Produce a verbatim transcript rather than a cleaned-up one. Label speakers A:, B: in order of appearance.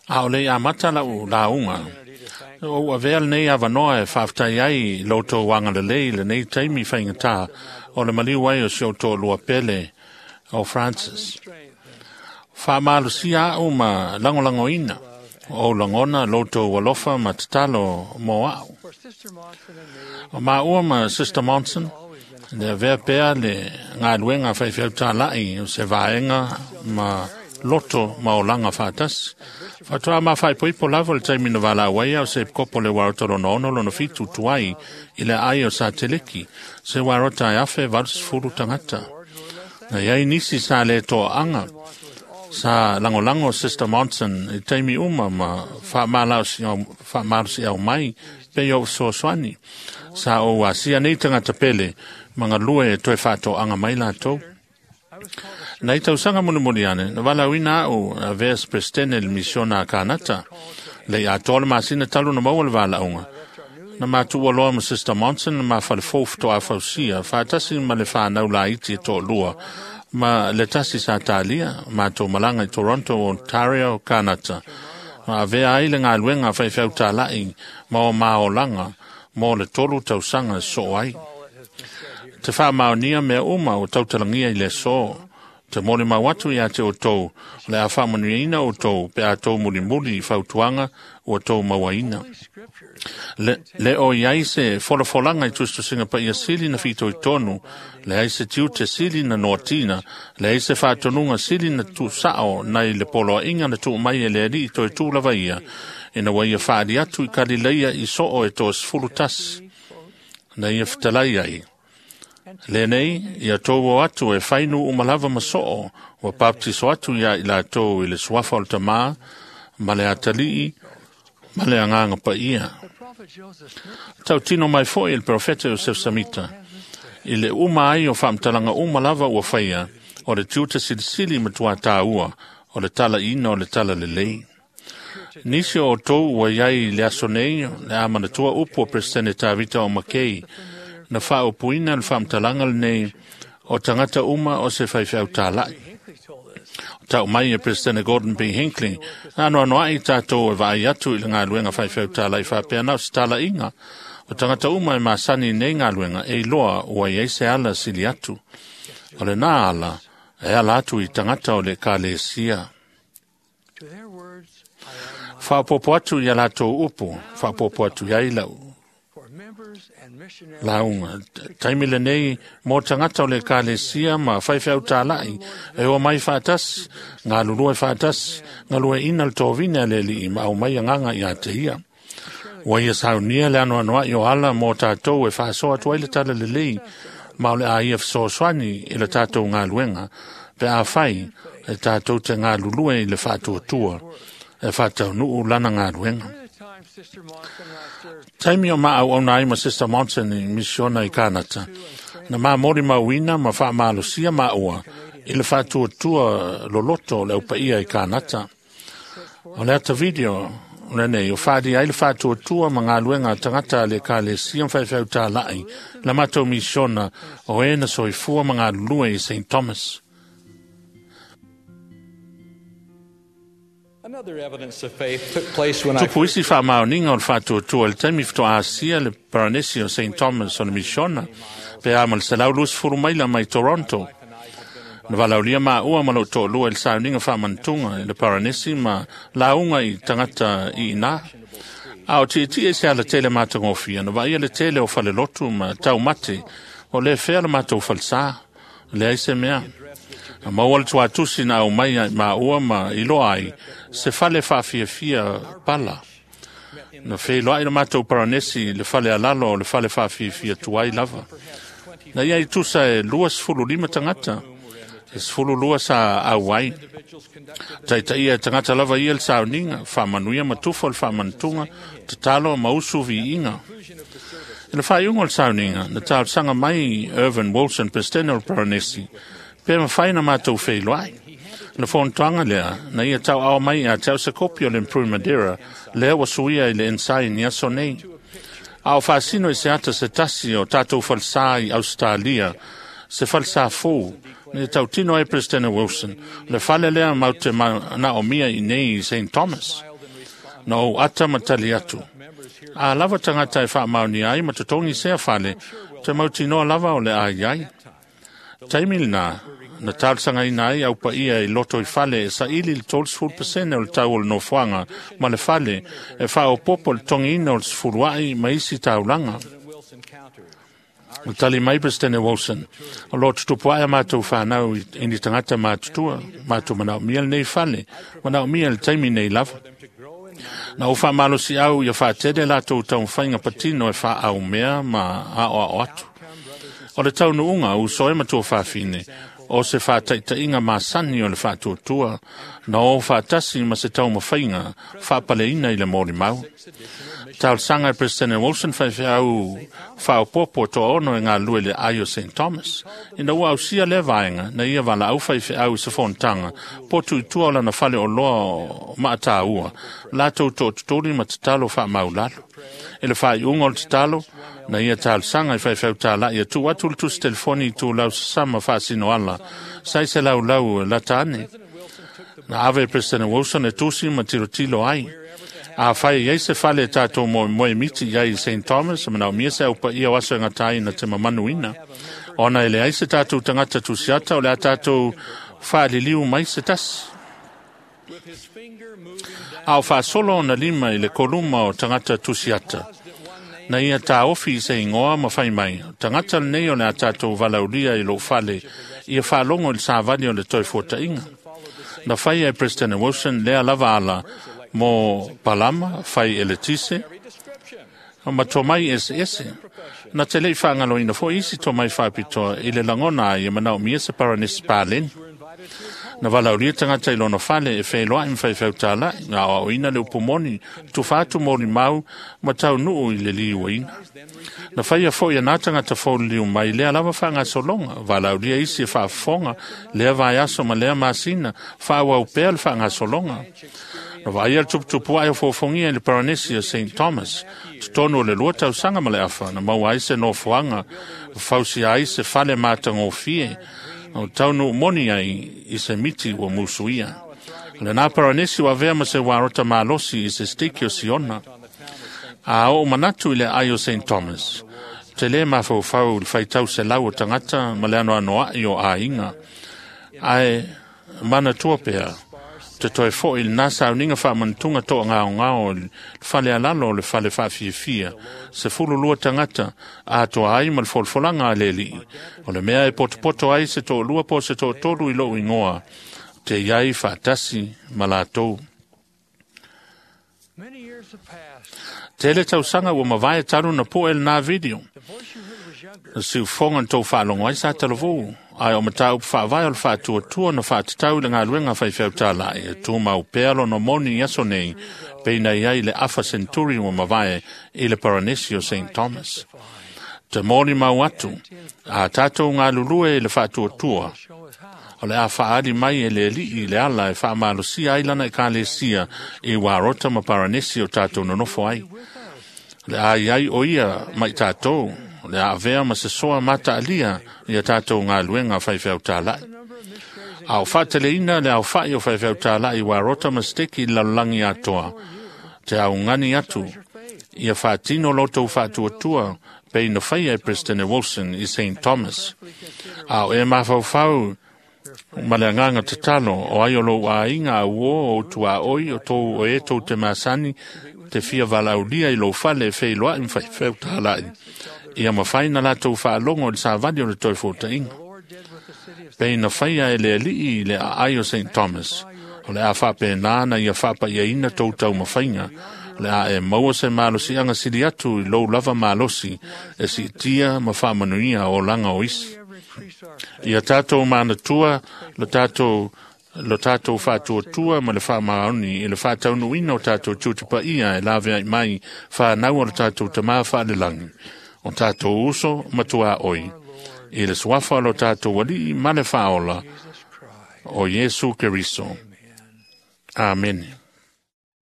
A: A o le amata lau lauga, o ua avea lenei avanoa e faafetai ai i lo outou agalelei i lenei taimi faigata o le maliu ai o si ou toalua pele o Francis. Faamalosia au ma lagolagoina o ou lagona lo outou alofa ma tatalo mo au. O maua ma Sister Monson, le avea pea le galuega faifeau talai o se vaega ma loto ma olaga faatasi. Faatoa mafaipoipo lava le taimi na valaau ai ao se epikopo le uaeata lona ono lona fitu tuai i le aai o Sateleki, se uaeata e afe valu sefulu tagata. Na iai nisi sa le toaaga sa lagolago Sister Monson i taimi uma ma faamalosiau mai pei o fesoasoani. Sa ou asia nei tagata pele ma galue e toe faatoaga mai latou. Nei tausaga mulimuli ane, na valaauina au avea se Peresetene i le misiona a Kanata. Le i atoa le masina talu na maua le valaauga. Na matuua loa ma Sister Monson na mafalefou faatoa fausia, faatasi ma le fanau laiti e toalua, ma le tasi sa talia, matou malaga i Toronto, Ontario, Kanata. Ma avea ai le galuega faifeau talai ma o maolaga mo le tolu tausaga soo ai. Te faamaonia mea uma o tautalagia i le aso. Te molimau atu ia te outou, o le a faamanuiaina outou pe a tou mulimuli i fautuaga ua tou mauaina. Le, le o iai se folafolaga i tusitusiga paia sili na fitoitonu, leai se tiute sili na noatina, leai se faatonuga sili na tuusao nai le poloaiga na tuu mai e le Alii toe tū lava ia, ina ua ia faali atu i Kalileia i soo e toasefulu tasi, na ia fetalai ai. Lenei, ia tou o atu e fai nuu uma lava ma soo, ua baptiso atu ia i latou i le suafa o le Tamā, ma le Atalii, ma le Agaga Paia. Tautino mai foi i le perofeta Iosef Samita, i le uma ai o faamatalaga uma lava ua faia, o le tiute silisili matua tāua, o le talaiina o le talalelei. Nisi o outou ua iai i le aso nei, le a manatua upu o Peresetene Tavita o Makei, na faaupuina le faamatalaga lenei o tagata uma o se faifeau talai. O tau mai e Peresetene Gordon B. Hinckley, na anoanoai tatou e vaai atu i le galuega faifeau talai faapea na o se talaiga. O tagata uma e masani nei galuega e iloa ua iai se ala sili atu. O lena ala e ala atu i tagata o le ekalesia. Faaopoopo atu i a latou upu, faaopoopo atu i ai lau lauga. Taimi lenei mo tagata o le ekalesia ma faifeau talai e o mai faatasi, galulue faatasi, galueaiina le tovine a le Alii ma aumai agaga ia te ia. Ua ia saunia le anoanoai o ala mo tatou e faasoa atu ai le talalelei ma o le a ia fesoasoani i le tatou galuega pe afai e tatou te galulue i le faatuatua e faataunuu lana galuega. Taimi o maauauna ai ma Sister Monson i misiona i Kanata, na mamoli mauina ma faamalosia maua i le faatuatua loloto o le aupaia i Kanata. O le ata video lenei o faalia ai le faatuatua ma galuega a tagata a le ekalesia ma faifeau talai la matou misiona o e na soifua ma galulue i Saint Thomas.
B: Another evidence of faith took place when I
A: Tupu isi faamaoniga o le faatuatua i le taimi faatoa asia le Paranesi o Saint Thomas o le misiona pe a ma le selau luasefulu maila mai Toronto. Na valaaulia maua ma lou toalua i le sauniga faamanatuga i le Paranesi ma lauga i tagata i ina. A o tietie i se alatele matagofie, na vaaia le tele o falelotu ma taumate o le fea le matou falesa, leai se mea. Na maua le tuatusi na aumai ai maua ma iloa ai se fale faafiafia pala. Na feiloai le matou Paranesi i le fale alalo o le fale faafiafia tuai lava. Na ia i tusa e luasefulu lima tagata, e sefulu lua sa auai. Taitaia e tagata lava ia le sauniga, faamanuia ma tufa o le faamanatuga, tatalo ma usu viiga. I le faaiuga o le sauniga, na talosaga mai Irvin Wilson, Peresetene o le Paranesi, pe mafai na matou feiloai. Le fonotaga lea, na ia tauao mai ia te au se kopi o le Improvement Era, lea ua suia i le Ensign i aso nei. A o faasino i se ata se tasi o tatou falesa i Ausetalia, se falesa fou, Ni tautino ai President Wilson, le fale lea mau te na o mia i nei i Saint Thomas. Na ou ata matali atu. A lava tangata e whaamaoni ai ma totongi sea fale, te mautinoa lava o le ai ai. Taimi lena, na talsanga ina ai au paia i loto i fale e sa ili le tolu pasene o le tau o le nofoanga ma le fale e whaopopo le tongi ina o le sefuluai ma isi taulanga. O tali mai President Wilson, o lo tutupu aia mātou whanau i ni tangata mātutua, mātou manao mia le nei fale, manao mia le taimi nei lava. Na o whaamalosi au ia whaatele lātou taumawhainga patino e wha mea ma ao ao atu. O le tau nuunga u soe matua whaafine, o se whaataitainga masani o le whaatuatua, na o whaatasi ma se taumawhainga whaapaleina i le mōri mau. Tau sanga e President Wilson whaiwheau whaopopo toa ono e ngā lue le ai o Saint Thomas. Ina ua ausia le vaenga, na ia wala au whaiwheau i se fontanga, potu i tua o lana fale o loa o maatāua, lātou tō tutori ma tatalo wha maulalo. E le whai unga o le tatalo, na ia talosaga i faifeau tālaʻi atu atu le tusi telefoni i tulau sasama faasino ala, sai se laulau lata ane. Na ave President Wilson e tusi ma tilotilo ai. A fai iai se fale e tātou mo moe miti iai i Saint Thomas, ma naomia se au paia o aso e ngatai na te mamanuina. Ona ele ai se tātou tangata tusiata o le a tātou whaaliliu mai se tasi. A o whaasolo o na lima i le koluma o tangata tusiata. Na ia tā ofi i se ingoa ma whai mai. Tangata nei o le a tātou valaulia i lo fale, ia whaalongo i le sāvali o le toi fuatainga. Na whai e President Wilson lea lava ala mo Palama, whai e le tise, ma tō mai ese ese. Na te lei whaangaloina fo isi tō mai whaapitoa i le langona ai e manao mia se paranesi pāleni. Na valaulia tangata i lona fale e whailoa i mwhaiwhau tālai, ngā o ina le upumoni, tuwhātu mōri mau, ma tau nuu i le liua ina. Na whaia fo ia nā tangata fōliu mai lea lava whaanga solonga, valaulia isi e whaafonga, lea vai aso ma lea masina, whaawau pea le whaanga solonga. Na vaia le tuputupu ai o fōfongia i le Paranesi o Saint Thomas, totonu o le lua tausaga ma le afa, na maua ai se nofoaga, fausia ai se fale matagofie, o taunu moni ai i se miti ua musuia. Le nā Paranesi ua avea ma se warota malosi i se stiki o Siona. A o manatu i le ai o Saint Thomas, te le mafaufau le faitau se lau o tangata ma le anoanoaʻi o aiga. Ae manatua pea, te toe foʻi i lenā sauniga faamanutuga toʻagaogao i le fale alalo o le fale faafiafia, sefululua tagata atoa ai ma le folafolaga a le aliʻi. O le mea e potopoto ai se toʻalua po o se toʻatolu i loʻu igoa, te iai faatasi ma latou. Tele tausaga ua mavae talu na poʻe lenā video. Na siufoga na tou faalogo ai sa talavou, ae o mataupu faavae o le faatuatua na faatatau i le galuega faifeau tālaʻi e tumau pea lona moni i aso nei, peina i ai le afa senturi ua mavae i le Paranesi o Saint Thomas. Te moni mau atu, a tātou galulue i le faatuatua, o le a faali mai e le aliʻi i le ala e faamalosia ai lana ekalesia i Warota ma Paranesi o tātou nonofo ai. Le a iai o ia mai tātou, le a avea ma se soa mataalia ia tātou galuega faifeau tālaʻi. A o faateleina le aofaʻi o faifeau tālaʻi Warota ma Steki i le lalolagi atoa, te augani atu, ia faatino lotou faatuatua pei na faia e President Wilson i Saint Thomas. A o e mafaufau ma le agaga tatalo o ai o lou aiga auō o tuaʻoi o tou o e tou te masani te fia valaulia i lou fale e feiloaʻi ma faifeau tālaʻi. Ia mafai na latou faalogo i le savali o le toe fuataʻiga. Pei na faia e le aliʻi i le aai o Saint Thomas, o le a faapenā na ia faapaiaina tou taumafaiga, le a e maua se malosiaga sili atu i lou lava malosi e siitia ma faamanuia o olaga o isi. Ia tātou manatua lo tātou lo tātou faatuatua ma le faamaoni i le faataunuuina o tātou tiute paia e laveaʻi mai fanau o le tātou tamā faalelagi, o tātou uso ma tuaʻoi, i le suafa o lo tātou aliʻi ma le faaola o Iesu Keriso. Amene.